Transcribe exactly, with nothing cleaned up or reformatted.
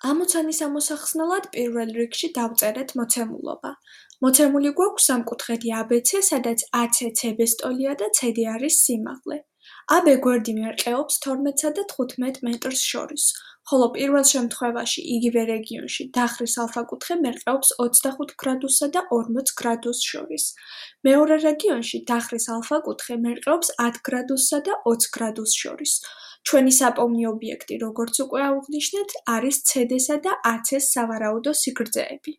ამოცანის ამოსახსნელად პირველ რიგში დავწერეთ მოცემულობა. მოცემული გვაქვს სამკუთხედი აბეცე, სადაც ათი ცებესტოლია და ცედი არის სიმაღლე. აბ გვერდი მერყეობს თორმეტსა და თხუთმეტ მეტრს შორის, ხოლო პირველ შემთხვევაში იგივე რეგიონში დახრის ალფა-კუთხე მერყეობს ოცდახუთ გრადუსსა და ორმოც გრადუსს შორის. მეორე რეგიონში დახრის ალფა-კუთხე მერყეობს ათ გრადუსსა და ოც გრადუსს შორის. ჩვენი საპოვნი ობიექტი, როგორც უკვე ავღნიშნეთ, არის ცედესა და აცეს სავარაუდო სიგრძეები.